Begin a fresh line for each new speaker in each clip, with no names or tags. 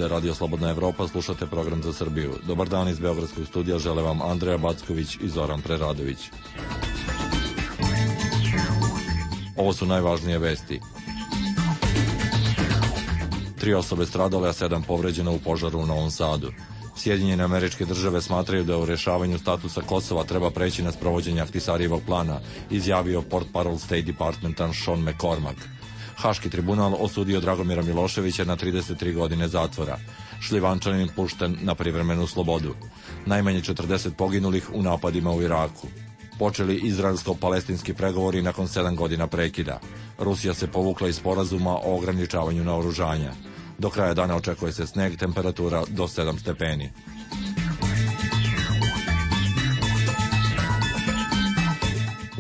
je Radio Slobodna Evropa, slušate program za Srbiju. Dobar dan iz Beogradskog studija, žele vam Andreja Backović i Zoran Preradović. Ovo su najvažnije vesti. 3 osobe stradale, a 7 povređeno u požaru u Novom Sadu. Sjedinjene Američke Države smatraju da u rješavanju statusa Kosova treba preći na sprovođenje Ahtisarijevog plana, izjavio portparol State Departmenta Sean McCormack. Haški tribunal osudio Dragomira Miloševića na 33 godine zatvora. Šljivančanin pušten na privremenu slobodu. Najmanje 40 poginulih u napadima u Iraku. Počeli izraelsko-palestinski pregovori nakon 7 godina prekida. Rusija se povukla iz sporazuma o ograničavanju naoružanja. Do kraja dana očekuje se sneg, temperatura do 7 stepeni.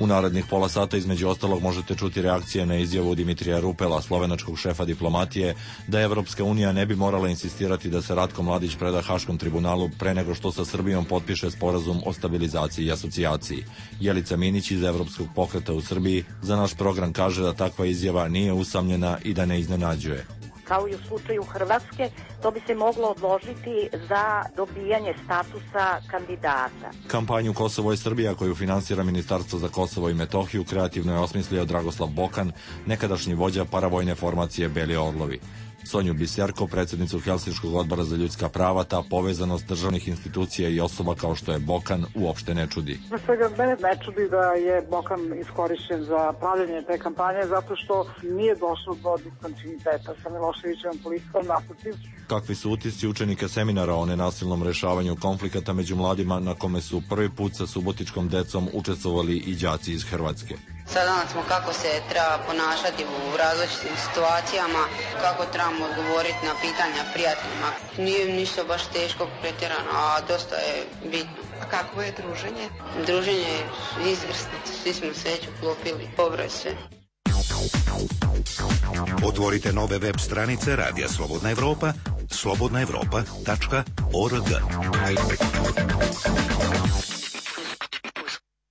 U narednih pola sata između ostalog možete čuti reakcije na izjavu Dimitrija Rupela, slovenačkog šefa diplomatije, da Evropska unija ne bi morala insistirati da se Ratko Mladić preda Haškom tribunalu pre nego što sa Srbijom potpiše sporazum o stabilizaciji i asocijaciji. Jelica Minić iz Evropskog pokreta u Srbiji za naš program kaže da takva izjava nije usamljena i da ne iznenađuje.
Kao i u slučaju Hrvatske, to bi se moglo odložiti za dobijanje statusa kandidata.
Kampanju Kosovo i Srbija, koju finansira Ministarstvo za Kosovo i Metohiju, kreativno je osmislio Dragoslav Bokan, nekadašnji vođa paravojne formacije Beli Orlovi. Sonju Biserko, predsjednicu Helsinškog odbora za ljudska prava, ta povezanost državnih institucija i osoba kao što je Bokan uopšte ne čudi.
Na svega mene ne čudi da je Bokan iskorišćen za pravljanje te kampanje zato što nije došlo do diskontinuiteta sa Miloševićevom politikom, naprotiv.
Kakvi su utisci učenika seminara o nenasilnom rešavanju konflikata među mladima na kome su prvi put sa subotičkom decom učestvovali i đaci iz Hrvatske?
Saznali smo kako se treba ponašati u različitim situacijama, kako trebamo odgovoriti na pitanja prijateljima. Nije ništa baš teško pretjerano, a dosta je bitno.
A kako je druženje?
Druženje je izvrsno, svi smo se već uklopili, dobro je sve.
Otvorite nove web stranice Radija Slobodna Evropa, slobodnaevropa.org.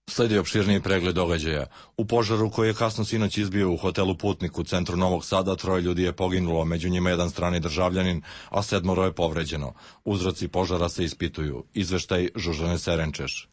Sledi opširniji pregled događaja. U požaru koji je kasno sinoć izbio u hotelu Putnik u centru Novog Sada, 3 ljudi je poginulo, među njima jedan strani državljanin, a 7 je povređeno. Uzroci požara se ispituju. Izveštaj Žužane Serenčeš.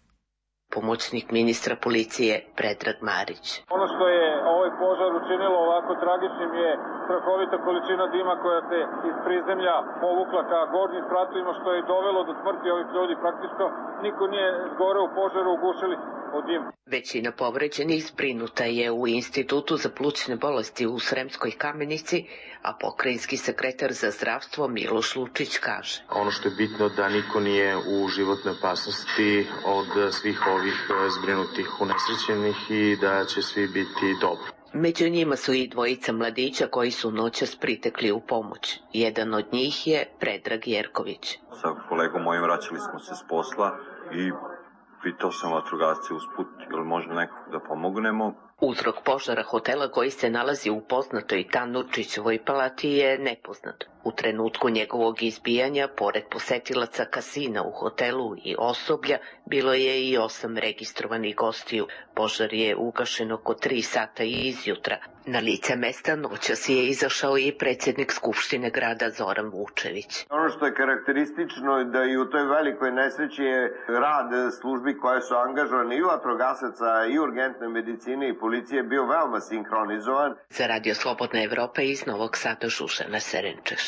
Pomoćnik ministra policije Predrag Marić.
Ono što je ovaj požar učinilo ovako tragičnim je strahovita količina dima koja se iz prizemlja povukla ka gornjim spratovima, što je dovelo do smrti ovih ljudi. Praktično niko nije zgore u požaru, ugušili od dima.
Većina povređenih zbrinuta je u Institutu za plućne bolesti u Sremskoj Kamenici, a pokrajinski sekretar za zdravstvo Miloš Lučić kaže.
Ono što je bitno da niko nije u životnoj opasnosti od svih ovih zbrinutih unesrećenih i da će svi biti dobro.
Među njima su i dvojica mladića koji su noćas pritekli u pomoć. Jedan od njih je Predrag Jerković.
Sa kolegom mojim vraćali smo se s posla i pitao sam vatrogasce usput, ili možda nekog da pomognemo.
Uzrok požara hotela koji se nalazi u poznatoj Tanurčićevoj palati je nepoznat. U trenutku njegovog izbijanja, pored posetilaca kasina u hotelu i osoblja, bilo je i 8 registrovanih gostiju. Požar je ugašen oko 3 sata izjutra. Na lice mesta noćas je izašao i predsjednik Skupštine grada Zoran Vučević.
Ono što je karakteristično je da i u toj velikoj nesreći je rad službi koje su angažovane i vatrogasaca i urgentne medicine i policije bio veoma sinhronizovan.
Za Radio Slobodna Evropa iz Novog Sada Žužana Serenčeš.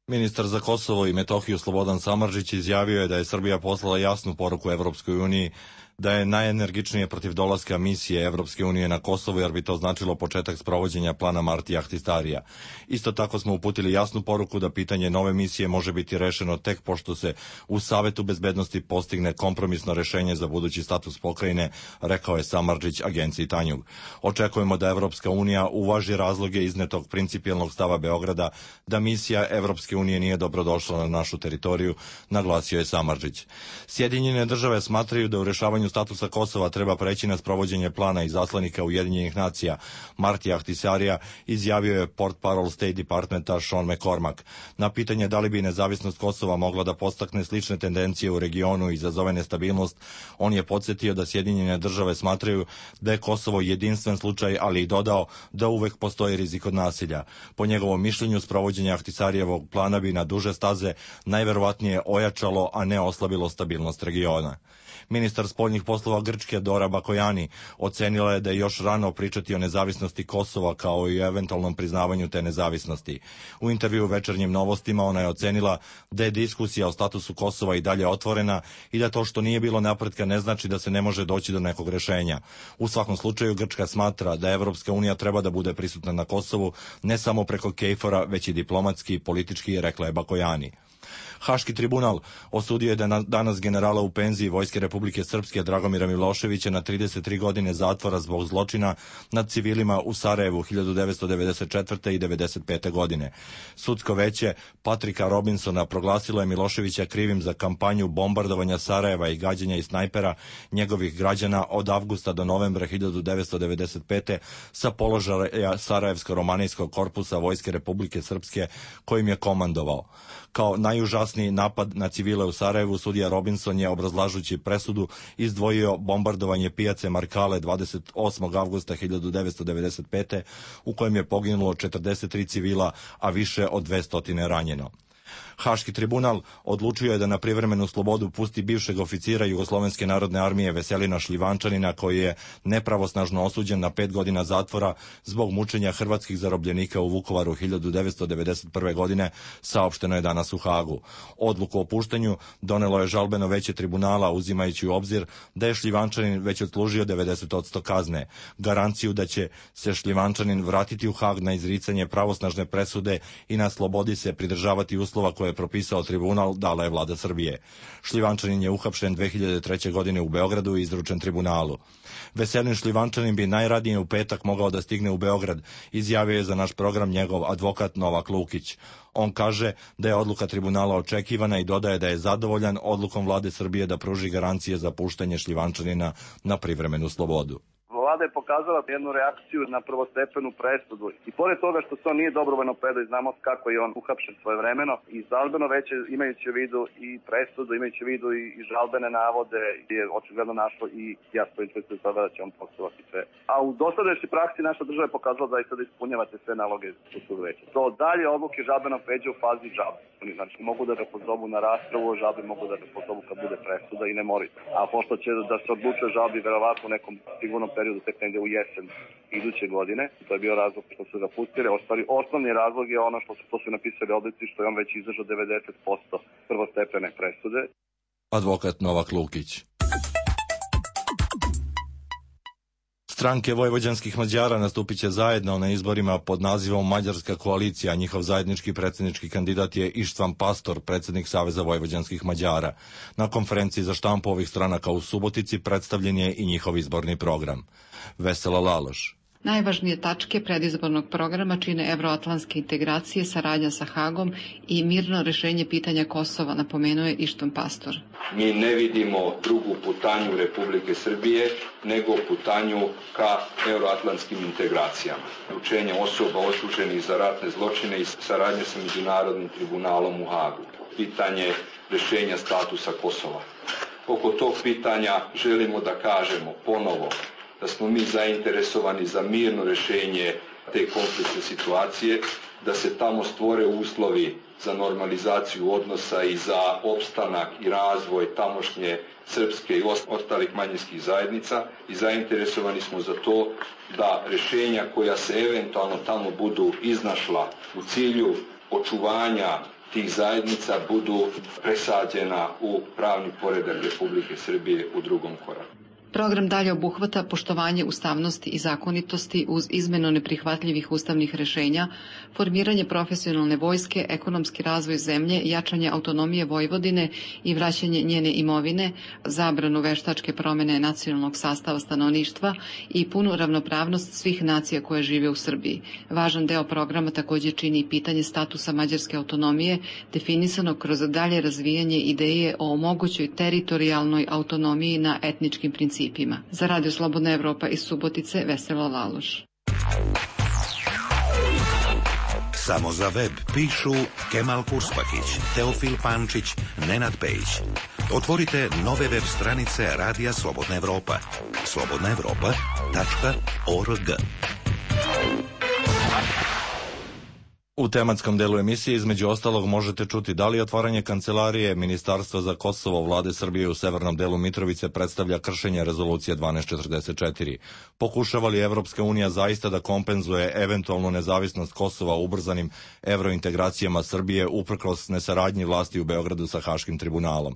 Ministar za Kosovo i Metohiju Slobodan Samardžić izjavio je da je Srbija poslala jasnu poruku Evropskoj uniji da je najenergičnije protiv dolaska misije Evropske unije na Kosovo, jer bi to značilo početak sprovođenja plana Marti Ahtisarija. Isto tako smo uputili jasnu poruku da pitanje nove misije može biti rešeno tek pošto se u Savetu bezbednosti postigne kompromisno rešenje za budući status pokrajine, rekao je Samardžić agenciji Tanjug. Očekujemo da Evropska unija uvaži razloge iznetog principijelnog stava Beograda da misija Evropske unije nije dobrodošla na našu teritoriju, naglasio je Samardžić. Sjedinjene države smatraju da u rešavanju priznavanju statusa Kosova treba preći na sprovođenje plana izaslanika Ujedinjenih nacija Martija Ahtisarija, izjavio je portparol State Departmenta Sean McCormack. Na pitanje da li bi nezavisnost Kosova mogla da podstakne slične tendencije u regionu i izazove nestabilnost, on je podsjetio da Sjedinjene države smatraju da je Kosovo jedinstven slučaj, ali i dodao da uvek postoji rizik od nasilja. Po njegovom mišljenju, sprovođenje Ahtisarijevog plana bi na duže staze najverovatnije ojačalo, a ne oslabilo stabilnost regiona. Ministar spoljnih poslova Grčke Dora Bakojani ocenila je da je još rano pričati o nezavisnosti Kosova kao i o eventualnom priznavanju te nezavisnosti. U intervju u Večernjim novostima ona je ocenila da je diskusija o statusu Kosova i dalje otvorena i da to što nije bilo napretka ne znači da se ne može doći do nekog rešenja. U svakom slučaju Grčka smatra da Evropska unija treba da bude prisutna na Kosovu ne samo preko KFOR-a, već i diplomatski i politički, rekla je Bakojani. Haški tribunal osudio je danas generala u penziji Vojske Republike Srpske Dragomira Miloševića na 33 godine zatvora zbog zločina nad civilima u Sarajevu 1994. i 1995. godine. Sudsko veće Patrika Robinsona proglasilo je Miloševića krivim za kampanju bombardovanja Sarajeva i gađanja iz snajpera njegovih građana od avgusta do novembra 1995. sa položaja Sarajevsko-romanijskog korpusa Vojske Republike Srpske kojim je komandovao. Kao najužasniji napad na civile u Sarajevu, sudija Robinson je, obrazlažući presudu, izdvojio bombardovanje pijace Markale 28. avgusta 1995. u kojem je poginulo 43 civila, a više od 200 ranjeno. Haški tribunal odlučio je da na privremenu slobodu pusti bivšeg oficira Jugoslovenske narodne armije Veselina Šljivančanina, koji je nepravosnažno osuđen na 5 godina zatvora zbog mučenja hrvatskih zarobljenika u Vukovaru 1991. godine, saopšteno je danas u Hagu. Odluku o puštanju donelo je žalbeno veće tribunala, uzimajući u obzir da je Šljivančanin već odslužio 90% kazne. Garanciju da će se Šljivančanin vratiti u Hag na izricanje pravosnažne presude i na slobodi se pridržavati uslova koje je propisao tribunal, dala je vlada Srbije. Šljivančanin je uhapšen 2003. godine u Beogradu i izručen tribunalu. Veselin Šljivančanin bi najradije u petak mogao da stigne u Beograd, izjavio je za naš program njegov advokat Novak Lukić. On kaže da je odluka tribunala očekivana i dodaje da je zadovoljan odlukom vlade Srbije da pruži garancije za puštanje Šljivančanina na privremenu slobodu.
Vlada je pokazala jednu reakciju na prvostepenu presudu i pored toga što to nije dobrovoljno predao i znamo kako je on uhapšen svojevremeno i žalbeno veće imajući u vidu i presudu, imajući u vidu i žalbene navode je očigledno našlo i jasno interesuje sada da će on poštovati sve. A u dosadašnjoj praksi naša država je pokazala da i sada ispunjavate sve naloge u sudu veća. To dalje odluke žalbenog veća u fazi žalbe. Znači mogu da ga pozovu na raspravu o žalbi, mogu da ga pozovu kad bude presuda i ne moraju. A pošto će da se odlučuje žalbi verovatno u nekom sigurnom periodu tek negde u jesen iduće godine. To je bio razlog što su ga pustili. Osnovni razlog je ono što su napisali odlici, što je on već izdržao 90% prvostepene presude.
Advokat Novak Lukić. Stranke vojvođanskih Mađara nastupit će zajedno na izborima pod nazivom Mađarska koalicija. Njihov zajednički predsjednički kandidat je Ištvan Pastor, predsjednik Saveza vojvođanskih Mađara. Na konferenciji za štampu ovih stranaka u Subotici predstavljen je i njihov izborni program. Vesela Laloš.
Najvažnije tačke predizbornog programa čine evroatlantske integracije, saradnja sa Hagom i mirno rešenje pitanja Kosova, napomenuje Ištvan Pastor.
Mi ne vidimo drugu putanju Republike Srbije nego putanju ka evroatlantskim integracijama. Učenje osoba osuđenih za ratne zločine i saradnje sa Međunarodnim tribunalom u Hagu. Pitanje rešenja statusa Kosova. Oko tog pitanja želimo da kažemo ponovo da smo mi zainteresovani za mirno rešenje te konfliktne situacije, da se tamo stvore uslovi za normalizaciju odnosa i za opstanak i razvoj tamošnje srpske i ostalih manjinskih zajednica i zainteresovani smo za to da rešenja koja se eventualno tamo budu iznašla u cilju očuvanja tih zajednica budu presađena u pravni poredak Republike Srbije u drugom koraku.
Program dalje obuhvata poštovanje ustavnosti i zakonitosti uz izmenu neprihvatljivih ustavnih rešenja, formiranje profesionalne vojske, ekonomski razvoj zemlje, jačanje autonomije Vojvodine i vraćanje njene imovine, zabranu veštačke promene nacionalnog sastava stanovništva i punu ravnopravnost svih nacija koje žive u Srbiji. Važan deo programa također čini i pitanje statusa mađarske autonomije, definisanog kroz dalje razvijanje ideje o mogućoj teritorijalnoj autonomiji na etničkim principima. Za Radio Slobodna Evropa iz Subotice, Vesela Laloš.
Samo za web pišu Kemal Kurspakić, Teofil Pančić, Nenad Pejić. Otvorite nove web stranice Radija Slobodna Evropa. slobodnaevropa.org.
U tematskom delu emisije između ostalog možete čuti da li otvaranje kancelarije Ministarstva za Kosovo vlade Srbije u severnom delu Mitrovice predstavlja kršenje rezolucije 1244. Pokušava li Evropska unija zaista da kompenzuje eventualnu nezavisnost Kosova ubrzanim evrointegracijama Srbije uprkos nesaradnji vlasti u Beogradu sa Haškim tribunalom?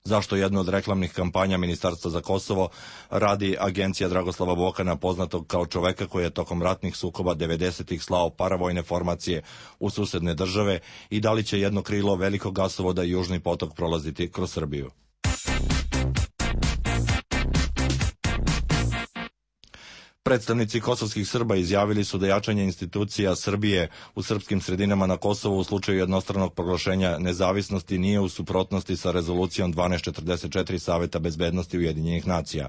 Zašto jednu od reklamnih kampanja Ministarstva za Kosovo radi agencija Dragoslava Bokana, poznatog kao čoveka koji je tokom ratnih sukoba 90-ih slao paravojne formacije u susedne države i da li će jedno krilo velikog gasovoda i Južni potok prolaziti kroz Srbiju? Predstavnici kosovskih Srba izjavili su da jačanje institucija Srbije u srpskim sredinama na Kosovu u slučaju jednostranog proglašenja nezavisnosti nije u suprotnosti sa rezolucijom 1244 Saveta bezbednosti Ujedinjenih nacija.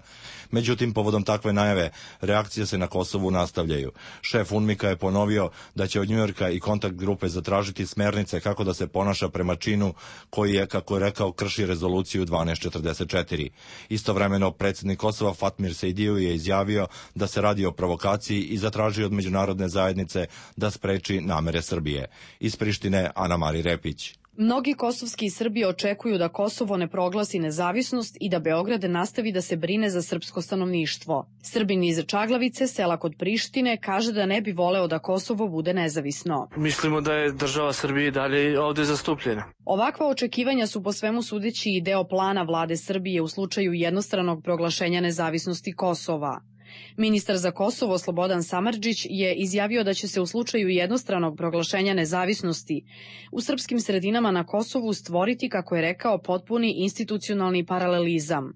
Međutim, povodom takve najave, reakcije se na Kosovu nastavljaju. Šef UNMIK-a je ponovio da će od Njujorka i kontakt grupe zatražiti smernice kako da se ponaša prema činu koji je, kako je rekao, krši rezoluciju 1244. Istovremeno, predsjednik Kosova Fatmir Sejdiju je izjavio da se radi o provokaciji i zatražio od međunarodne zajednice da spreči namere Srbije. Iz Prištine, Ana Mari Repić.
Mnogi kosovski Srbi očekuju da Kosovo ne proglasi nezavisnost i da Beograd nastavi da se brine za srpsko stanovništvo. Srbin iz Čaglavice, sela kod Prištine, kaže da ne bi voleo da Kosovo bude nezavisno.
Mislimo da je država Srbije dalje ovde zastupljena.
Ovakva očekivanja su po svemu sudeći i deo plana vlade Srbije u slučaju jednostranog proglašenja nezavisnosti Kosova. Ministar za Kosovo Slobodan Samardžić je izjavio da će se u slučaju jednostranog proglašenja nezavisnosti u srpskim sredinama na Kosovu stvoriti, kako je rekao, potpuni institucionalni paralelizam.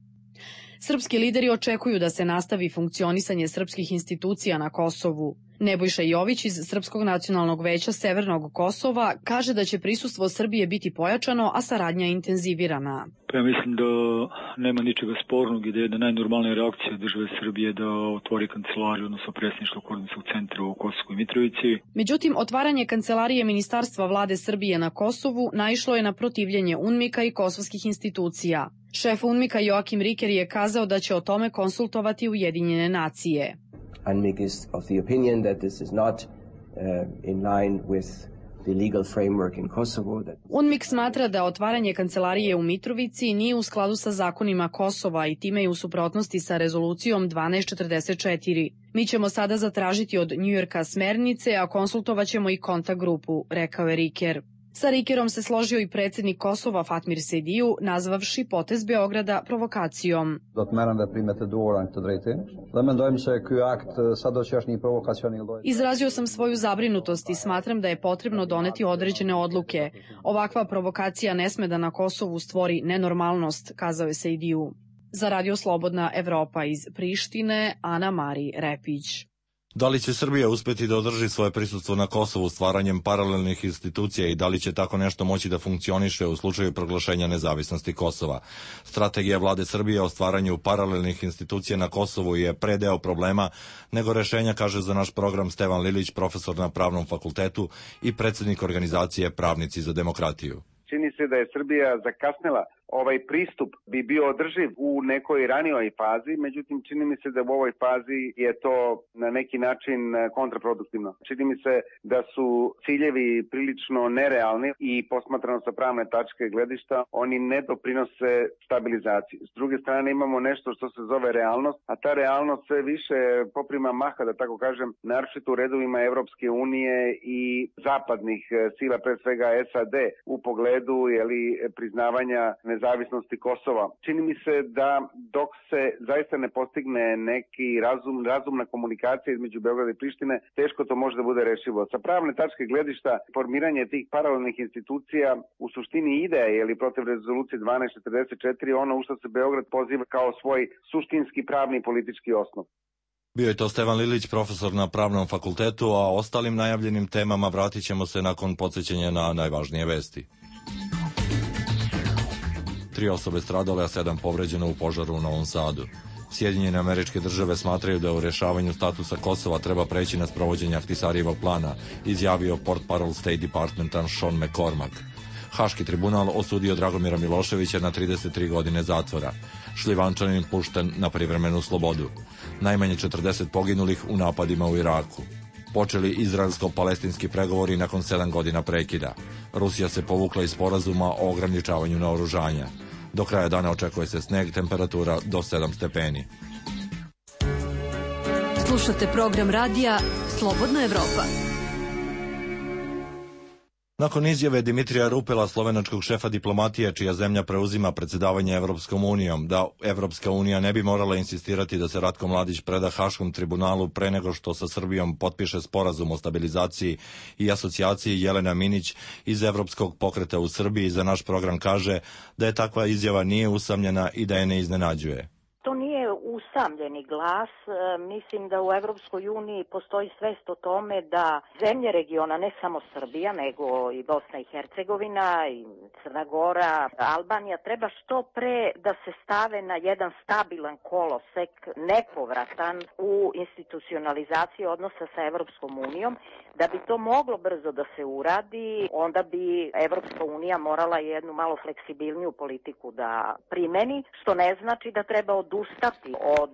Srpski lideri očekuju da se nastavi funkcionisanje srpskih institucija na Kosovu. Nebojša Jović iz Srpskog nacionalnog veća Severnog Kosova kaže da će prisustvo Srbije biti pojačano, a saradnja intenzivirana.
Ja mislim da nema ničega spornog i da je jedna najnormalnija reakcija države Srbije da otvori kancelariju, odnosno predsjedništvo koordinacionog centra u Kosovskoj Mitrovici.
Međutim, otvaranje kancelarije Ministarstva vlade Srbije na Kosovu naišlo je na protivljenje UNMIK-a i kosovskih institucija. Šef UNMIK-a Joakim Riker je kazao da će o tome konsultovati Ujedinjene nacije.
UNMIK is of the opinion that this is not in line with the legal framework in Kosovo.
UNMIK smatra da otvaranje kancelarije u Mitrovici nije u skladu sa zakonima Kosova i time je u suprotnosti sa rezolucijom 1244. Mi ćemo sada zatražiti od Njujorka smernice, a konsultovat ćemo i kontakt grupu, rekao je Riker. Sa Rikerom se složio i predsjednik Kosova Fatmir Sejdiju, nazvavši potez Beograda provokacijom. Izrazio sam svoju zabrinutost i smatram da je potrebno doneti određene odluke. Ovakva provokacija ne sme da na Kosovu stvori nenormalnost, kazao je Sejdiju. Za Radio Slobodna Evropa iz Prištine, Ana Mari Repić.
Da li će Srbija uspeti da održi svoje prisustvo na Kosovu stvaranjem paralelnih institucija i da li će tako nešto moći da funkcioniše u slučaju proglašenja nezavisnosti Kosova? Strategija vlade Srbije o stvaranju paralelnih institucija na Kosovu je predeo problema nego rešenja, kaže za naš program Stevan Lilić, profesor na Pravnom fakultetu i predsjednik organizacije Pravnici za demokratiju.
Čini se da je Srbija zakasnila. Ovaj pristup bi bio održiv u nekoj ranijoj fazi, međutim čini mi se da u ovoj fazi je to na neki način kontraproduktivno. Čini mi se da su ciljevi prilično nerealni i posmatrano sa pravne tačke gledišta, oni ne doprinose stabilizaciji. S druge strane imamo nešto što se zove realnost, a ta realnost sve više poprima maha, da tako kažem, naročito u redovima Evropske unije i zapadnih sila, pre svega SAD, u pogledu priznavanja nezavisnosti Kosova. Čini mi se da dok se zaista ne postigne neki razumna komunikacija između Beograda i Prištine, teško to može da bude rešivo. Sa pravne tačke gledišta, formiranje tih paralelnih institucija u suštini ide protiv rezolucije 1244, ono u što se Beograd poziva kao svoj suštinski pravni i politički osnov.
Bio je to Stevan Lilić, profesor na Pravnom fakultetu, a ostalim najavljenim temama vratit ćemo se nakon podsjećanja na najvažnije vesti. 3 osobe stradale, a 7 povređeno u požaru u Novom Sadu. Sjedinjene Američke Države smatraju da u rješavanju statusa Kosova treba preći na sprovođenje Ahtisarijevog plana, izjavio portparol State Departmenta Sean McCormack. Haški tribunal osudio Dragomira Miloševića na 33 godine zatvora. Šljivančanin pušten na privremenu slobodu. Najmanje 40 poginulih u napadima u Iraku. Počeli izraelsko-palestinski pregovori nakon 7 godina prekida. Rusija se povukla iz sporazuma o ograničavanju naoružanja. Do kraja dana očekuje se sneg, temperatura do 7 stepeni.
Slušate program radija Slobodna Evropa.
Nakon izjave Dimitrija Rupela, slovenačkog šefa diplomatije, čija zemlja preuzima predsjedavanje Evropskom unijom, da Evropska unija ne bi morala insistirati da se Ratko Mladić preda Haškom tribunalu pre nego što sa Srbijom potpiše sporazum o stabilizaciji i asocijaciji, Jelena Minić iz Evropskog pokreta u Srbiji za naš program kaže da je takva izjava nije usamljena i da je ne iznenađuje.
To nije usamljeni glas. Mislim da u Evropskoj uniji postoji svest o tome da zemlje regiona, ne samo Srbija, nego i Bosna i Hercegovina, i Crna Gora, Albanija, treba što pre da se stave na jedan stabilan kolosek, nepovratan u institucionalizaciji odnosa sa Evropskom unijom. Da bi to moglo brzo da se uradi, onda bi Evropska unija morala jednu malo fleksibilniju politiku da primeni, što ne znači da treba odustati od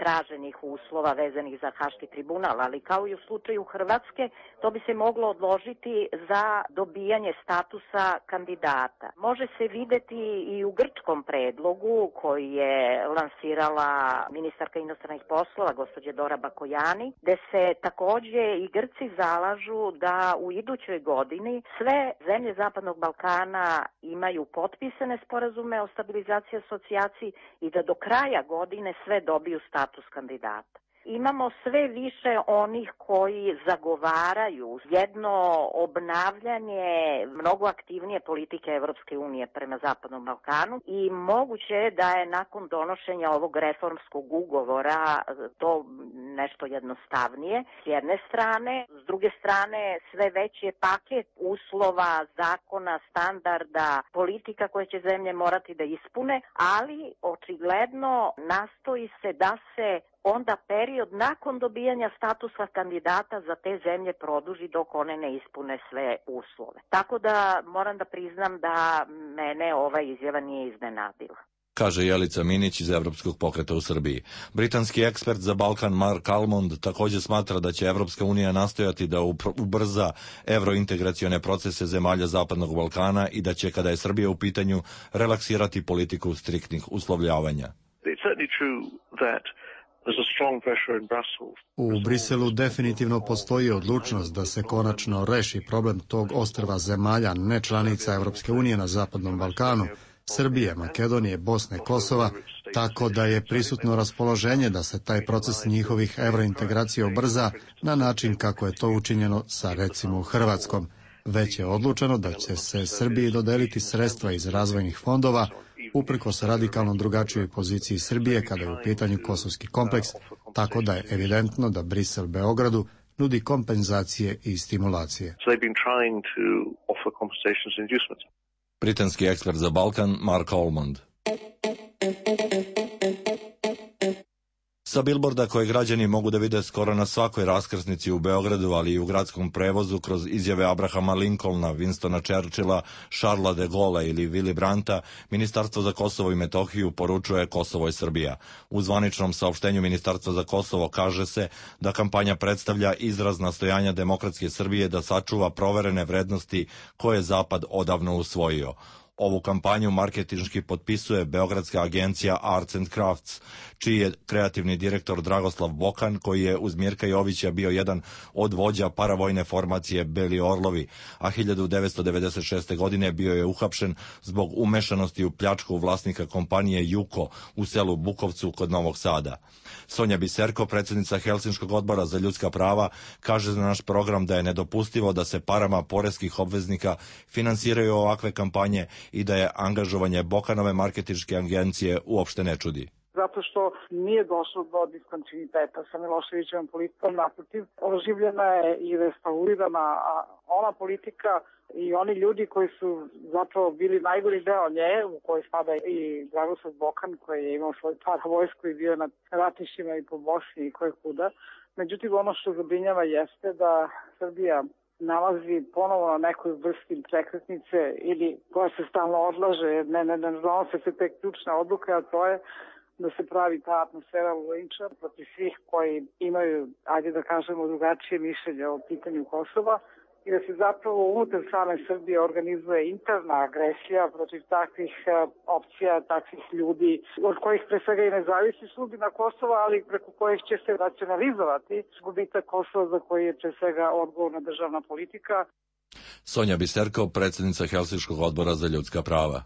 traženih uslova vezanih za Haški tribunal, ali kao i u slučaju Hrvatske, to bi se moglo odložiti za dobijanje statusa kandidata. Može se videti i u grčkom predlogu koji je lansirala ministarka inostranih poslova, gospođa Dora Bakojani, gde se takođe i Grci zalažu da u idućoj godini sve zemlje Zapadnog Balkana imaju potpisane sporazume o stabilizaciji i asocijaciji i da do kraja godine sve dobiju status kandidata. Imamo sve više onih koji zagovaraju jedno obnavljanje mnogo aktivnije politike Evropske unije prema Zapadnom Balkanu i moguće je da je nakon donošenja ovog reformskog ugovora to nešto jednostavnije s jedne strane, s druge strane sve veći je paket uslova, zakona, standarda, politika koje će zemlje morati da ispune, ali očigledno nastoji se da se onda period nakon dobijanja statusa kandidata za te zemlje produži dok one ne ispune sve uslove. Tako da moram da priznam da mene ova izjava nije iznenadila,
kaže Jelica Minić iz Evropskog pokreta u Srbiji. Britanski ekspert za Balkan Mark Almond također smatra da će Evropska unija nastojati da ubrza evrointegracione procese zemalja Zapadnog Balkana i da će, kada je Srbija u pitanju, relaksirati politiku striktnih uslovljavanja.
U Briselu definitivno postoji odlučnost da se konačno reši problem tog ostrva zemalja nečlanica Evropske unije na Zapadnom Balkanu, Srbije, Makedonije, Bosne, Kosova, tako da je prisutno raspoloženje da se taj proces njihovih evrointegracija ubrza na način kako je to učinjeno sa recimo Hrvatskom. Već je odlučeno da će se Srbiji dodeliti sredstva iz razvojnih fondova uprkos radikalno drugačijoj poziciji Srbije kada je u pitanju kosovski kompleks, tako da je evidentno da Brisel Beogradu nudi kompenzacije i stimulacije.
Britanski ekspert za Balkan Mark Almond. Sa bilborda koje građani mogu da vide skoro na svakoj raskrsnici u Beogradu, ali i u gradskom prevozu kroz izjave Abrahama Lincolna, Winstona Churchilla, Charlesa de Gaulle ili Willy Brandta, Ministarstvo za Kosovo i Metohiju poručuje Kosovo i Srbija. U zvaničnom saopštenju Ministarstva za Kosovo kaže se da kampanja predstavlja izraz nastojanja demokratske Srbije da sačuva proverene vrednosti koje je Zapad odavno usvojio. Ovu kampanju marketinški potpisuje beogradska agencija Arts and Crafts, čiji je kreativni direktor Dragoslav Bokan, koji je uz Mirka Jovića bio jedan od vođa paravojne formacije Beli Orlovi, a 1996. godine bio je uhapšen zbog umešanosti u pljačku vlasnika kompanije Juko u selu Bukovcu kod Novog Sada. Sonja Biserko, predsjednica Helsinškog odbora za ljudska prava, kaže za naš program da je nedopustivo da se parama poreskih obveznika finansiraju ovakve kampanje i da je angažovanje Bokanove marketinške agencije uopšte ne čudi.
Zato što nije došlo do diskontinuiteta sa Miloševićevom politikom, naprotiv, oživljena je i restaurirana ona politika i oni ljudi koji su zapravo bili najgori deo nje, u kojoj spada i Dragoslav Bokan, koji je imao svoj paravojsku i bio na ratištima i po Bosni i koje kuda. Međutim, ono što zabrinjava jeste da Srbija nalazi ponovo na nekoj vrsti prekretnice ili koja se stalno odlaže, ne donose se te ključne odluke, a to je da se pravi ta atmosfera linča protiv svih koji imaju, ajde da kažemo, drugačije mišljenje o pitanju Kosova i da se zapravo unutar same Srbije organizuje interna agresija protiv takvih opcija, takvih ljudi, od kojih pre svega i ne zavisi sudbina Kosova, ali preko kojih će se racionalizovati gubitak Kosova za koji je pre svega odgovorna državna politika.
Sonja Biserko, predsjednica Helsinškog odbora za ljudska prava.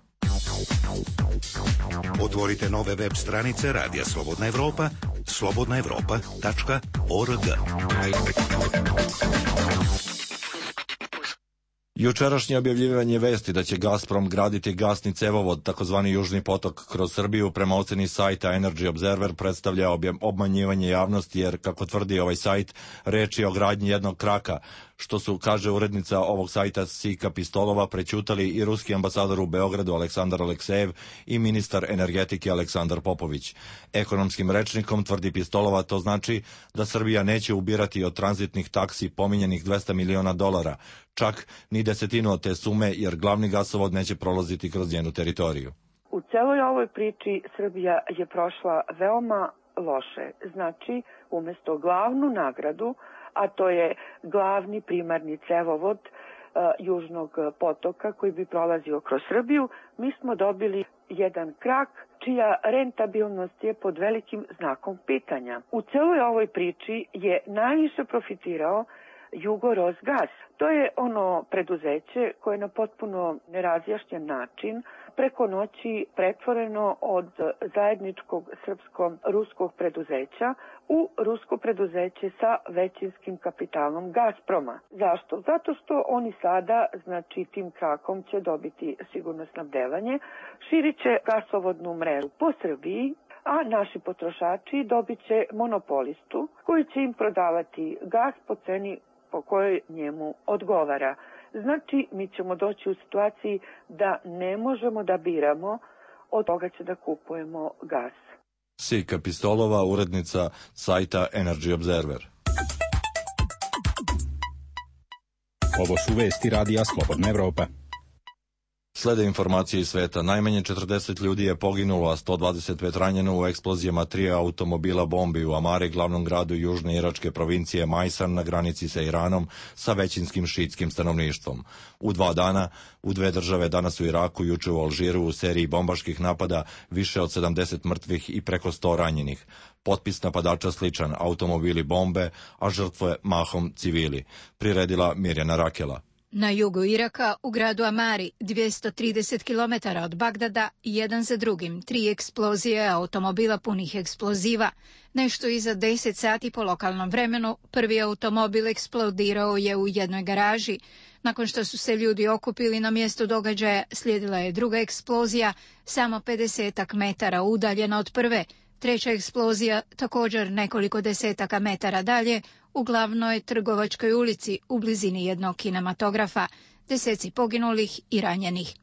Otvorite nove web stranice Radija Slobodna Evropa, slobodnaevropa.org.
Jučerašnje objavljivanje vesti da će Gazprom graditi gasni cevovod, takozvani Južni potok, kroz Srbiju, prema oceni sajta Energy Observer, predstavlja obmanjivanje javnosti, jer, kako tvrdi ovaj sajt, reč je o gradnji jednog kraka, što su, kaže urednica ovog sajta Sika Pistolova, prećutali i ruski ambasador u Beogradu Aleksandar Aleksejev i ministar energetike Aleksandar Popović. Ekonomskim rečnikom, tvrdi Pistolova, to znači da Srbija neće ubirati od tranzitnih taksi pominjenih $200 miliona, čak ni desetinu od te sume, jer glavni gasovod neće prolaziti kroz njenu teritoriju.
U celoj ovoj priči Srbija je prošla veoma loše. Znači, umesto glavnu nagradu, a to je glavni primarni cevovod Južnog potoka koji bi prolazio kroz Srbiju, mi smo dobili jedan krak čija rentabilnost je pod velikim znakom pitanja. U celoj ovoj priči je najviše profitirao Jugorosgas. To je ono preduzeće koje na potpuno nerazjašnjen način preko noći pretvoreno od zajedničkog srpsko-ruskog preduzeća u rusko preduzeće sa većinskim kapitalom Gazproma. Zašto? Zato što oni sada, znači tim krakom će dobiti sigurno snabdevanje, širit će gasovodnu mrežu po Srbiji, a naši potrošači dobit će monopolistu koji će im prodavati gas po ceni po kojoj njemu odgovara. Znači, mi ćemo doći u situaciji da ne možemo da biramo, od toga će da kupujemo gas.
Sika Pistolova, urednica sajta Energy Observer.
Ovo su vesti Radija Slobodna Evropa.
Slede informacije iz sveta. Najmanje 40 ljudi je poginulo, a 125 ranjeno u eksplozijama 3 automobila bombi u Amari, glavnom gradu južne iračke provincije Majsan na granici sa Iranom, sa većinskim šiitskim stanovništvom. U 2 dana, u 2 države, danas u Iraku, juče u Alžiru, u seriji bombaških napada, više od 70 mrtvih i preko 100 ranjenih. Potpis napadača sličan, automobili bombe, a žrtve mahom civili. Priredila Mirjana Rakela.
Na jugu Iraka, u gradu Amari, 230 km od Bagdada, jedan za drugim, 3 eksplozije automobila punih eksploziva. Nešto iza 10 sati po lokalnom vremenu, prvi automobil eksplodirao je u jednoj garaži. Nakon što su se ljudi okupili na mjestu događaja, slijedila je druga eksplozija, samo 50 metara udaljena od prve. Treća eksplozija, također nekoliko desetaka metara dalje, u glavnoj trgovačkoj ulici u blizini jednog kinematografa, deseci poginulih i ranjenih.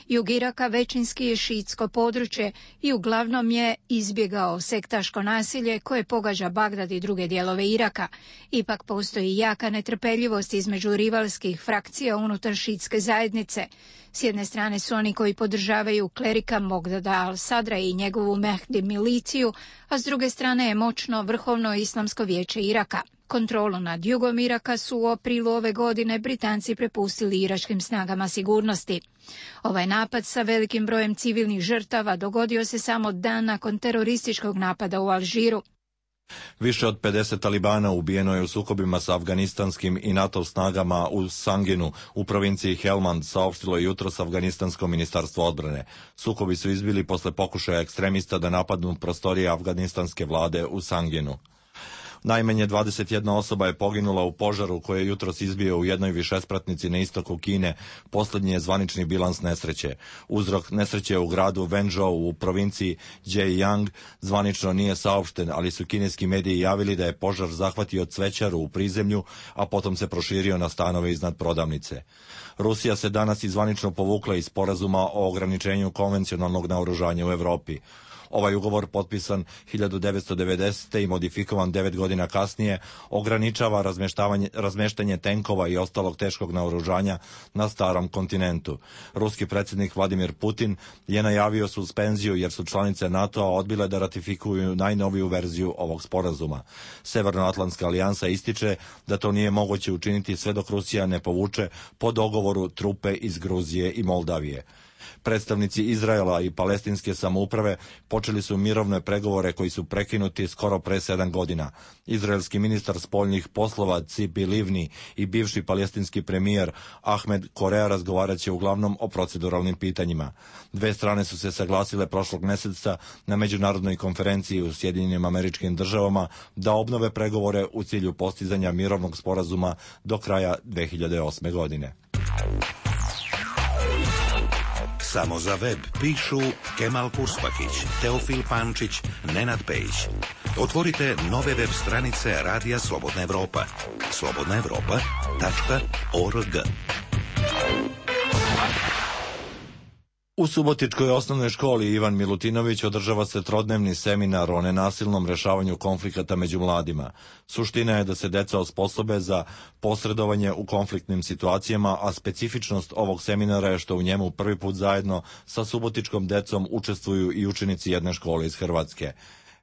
Jug Iraka većinski je šiitsko područje i uglavnom je izbjegao sektaško nasilje koje pogađa Bagdad i druge dijelove Iraka. Ipak postoji jaka netrpeljivost između rivalskih frakcija unutar šiitske zajednice. S jedne strane su oni koji podržavaju klerika Mogdada al-Sadra i njegovu Mehdi miliciju, a s druge strane je moćno Vrhovno islamsko vijeće Iraka. Kontrolu nad jugom Iraka su u aprilu ove godine Britanci prepustili iračkim snagama sigurnosti. Ovaj napad sa velikim brojem civilnih žrtava dogodio se samo dan nakon terorističkog napada u Alžiru.
Više od 50 talibana ubijeno je u sukobima sa afganistanskim i NATO snagama u Sanginu u provinciji Helmand, saopštilo je jutros afganistansko ministarstvo odbrane. Sukobi su izbili posle pokušaja ekstremista da napadnu prostorije afganistanske vlade u Sanginu. Najmanje 21 osoba je poginula u požaru koji je jutros izbio u jednoj višespratnici na istoku Kine. Poslednji je zvanični bilans nesreće. Uzrok nesreće u gradu Wenzhou u provinciji Zhejiang zvanično nije saopšten, ali su kineski mediji javili da je požar zahvatio cvećaru u prizemlju, a potom se proširio na stanove iznad prodavnice. Rusija se danas i zvanično povukla iz sporazuma o ograničenju konvencionalnog naoružanja u Evropi. Ovaj ugovor, potpisan 1990. i modifikovan 9 godina kasnije, ograničava razmeštanje tenkova i ostalog teškog naoružanja na starom kontinentu. Ruski predsjednik Vladimir Putin je najavio suspenziju jer su članice NATO-a odbile da ratifikuju najnoviju verziju ovog sporazuma. Severnoatlantska alijansa ističe da to nije moguće učiniti sve dok Rusija ne povuče po dogovoru trupe iz Gruzije i Moldavije. Predstavnici Izraela i palestinske samouprave počeli su mirovne pregovore koji su prekinuti skoro pre 7 godina. Izraelski ministar spoljnih poslova Tzipi Livni i bivši palestinski premijer Ahmed Korea razgovarat će uglavnom o proceduralnim pitanjima. Dve strane su se saglasile prošlog meseca na međunarodnoj konferenciji u Sjedinjenim Američkim Državama da obnove pregovore u cilju postizanja mirovnog sporazuma do kraja 2008. godine.
Samo za web pišu Kemal Kurspatić, Teofil Pančić, Nenad Pejić. Otvorite nove web stranice Radija Slobodna Evropa. slobodnaevropa.org.
U Subotičkoj osnovnoj školi Ivan Milutinović održava se trodnevni seminar o nenasilnom rešavanju konflikata među mladima. Suština je da se deca osposobe za posredovanje u konfliktnim situacijama, a specifičnost ovog seminara je što u njemu prvi put zajedno sa subotičkom decom učestvuju i učenici jedne škole iz Hrvatske.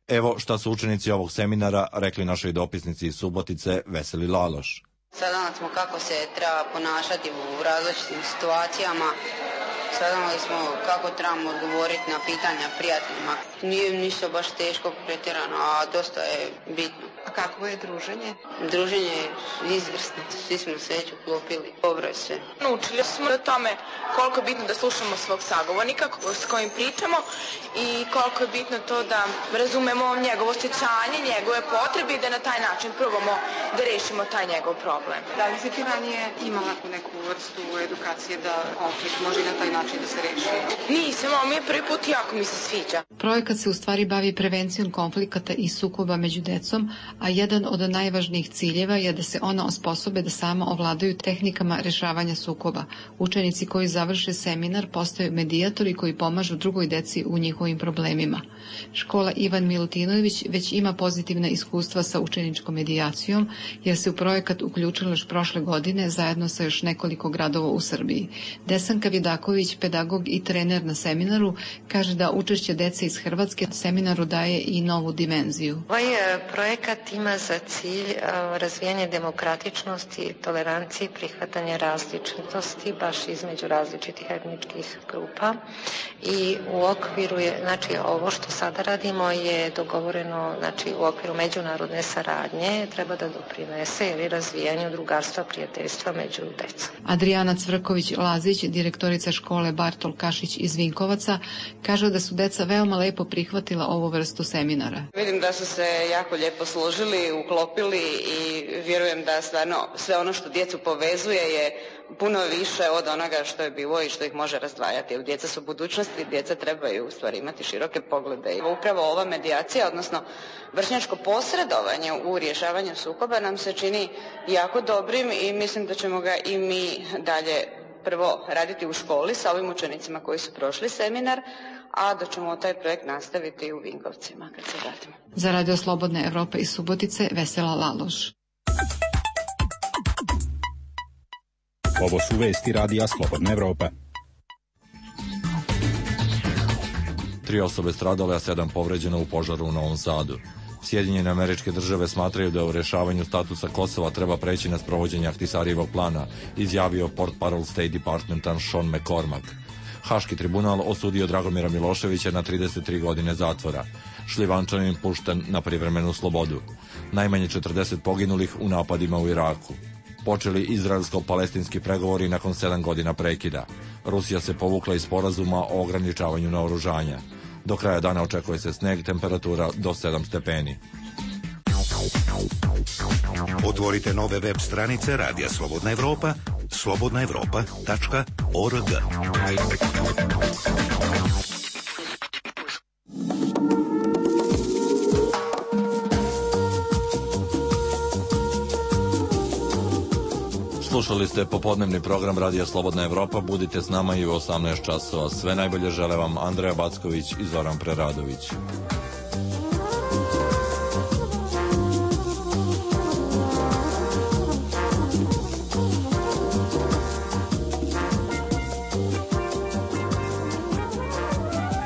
Evo šta su učenici ovog seminara rekli našoj dopisnici iz Subotice Veseli Laloš.
Saznali smo kako se treba ponašati u različitim situacijama. Saznali smo kako trebamo odgovoriti na pitanja prijateljima. Nije ništa baš teško pretjerano, a dosta je bitno.
A kakvo je druženje?
Druženje je izvrsno. Svi smo se već uklopili. Dobro je sve.
Naučili smo o tome koliko je bitno da slušamo svog sagovornika s kojim pričamo i koliko je bitno to da razumemo njegovo osjećanje, njegove potrebe i da na taj način probamo da rešimo taj njegov problem. Da li si ti ranije imala neku vrstu edukacije da konflikt može na taj način da se reši? Nisam, ali mi je prvi put jako mi se sviđa.
Projekat se u stvari bavi prevencijom konflikata i sukoba među decom, a jedan od najvažnijih ciljeva je da se ona osposobe da sama ovladaju tehnikama rešavanja sukoba. Učenici koji završe seminar postaju medijatori koji pomažu drugoj deci u njihovim problemima. Škola Ivan Milutinović već ima pozitivna iskustva sa učeničkom medijacijom, jer se u projekat uključila još prošle godine zajedno sa još nekoliko gradova u Srbiji. Desanka Vidaković, pedagog i trener na seminaru, kaže da učešće dece iz Hrvatske seminaru daje i novu dimenziju.
Ovaj projekat ima za cilj razvijanje demokratičnosti, tolerancije, prihvatanje različitosti baš između različitih etničkih grupa i u okviru je, znači ovo što sada radimo je dogovoreno, znači u okviru međunarodne saradnje treba da doprinese ili razvijanju drugarstva, prijateljstva među decom.
Adrijana Cvrković-Lazić, direktorica škole Bartol Kašić iz Vinkovaca, kaže da su deca veoma lepo prihvatila ovu vrstu seminara.
Vidim da su se jako lijepo složili, uklopili i vjerujem da stvarno sve ono što djecu povezuje je puno više od onoga što je bilo i što ih može razdvajati. Djeca su budućnosti, djeca trebaju u stvari imati široke poglede. I upravo ova medijacija, odnosno vršnjačko posredovanje u rješavanju sukoba nam se čini jako dobrim i mislim da ćemo ga i mi dalje prvo raditi u školi sa ovim učenicima koji su prošli seminar, a da ćemo taj projekt nastaviti u Vinkovcima kad se vratimo.
Za Radio Slobodne Evrope iz Subotice, Vesela Laloš.
Ovo su vesti Radija Slobodna Evropa.
3 osobe stradale, a 7 povređeno u požaru u Novom Sadu. Sjedinjene Američke Države smatraju da u rešavanju statusa Kosova treba preći na sprovođenje Ahtisarijevog plana, izjavio portparol State Departmenta Sean McCormack. Haški tribunal osudio Dragomira Miloševića na 33 godine zatvora. Šljivančanin pušten na privremenu slobodu. Najmanje 40 poginulih u napadima u Iraku. Počeli izraelsko-palestinski pregovori nakon 7 godina prekida. Rusija se povukla iz sporazuma o ograničavanju naoružanja. Do kraja dana očekuje se sneg, temperatura do 7 stepeni.
Otvorite nove web stranice Radija Slobodna Evropa, slobodnaevropa.org.
Slušali ste popodnevni program Radija Slobodna Evropa. Budite s nama i u 18 časova. Sve najbolje žele vam Andreja Backović i Zoran Preradović.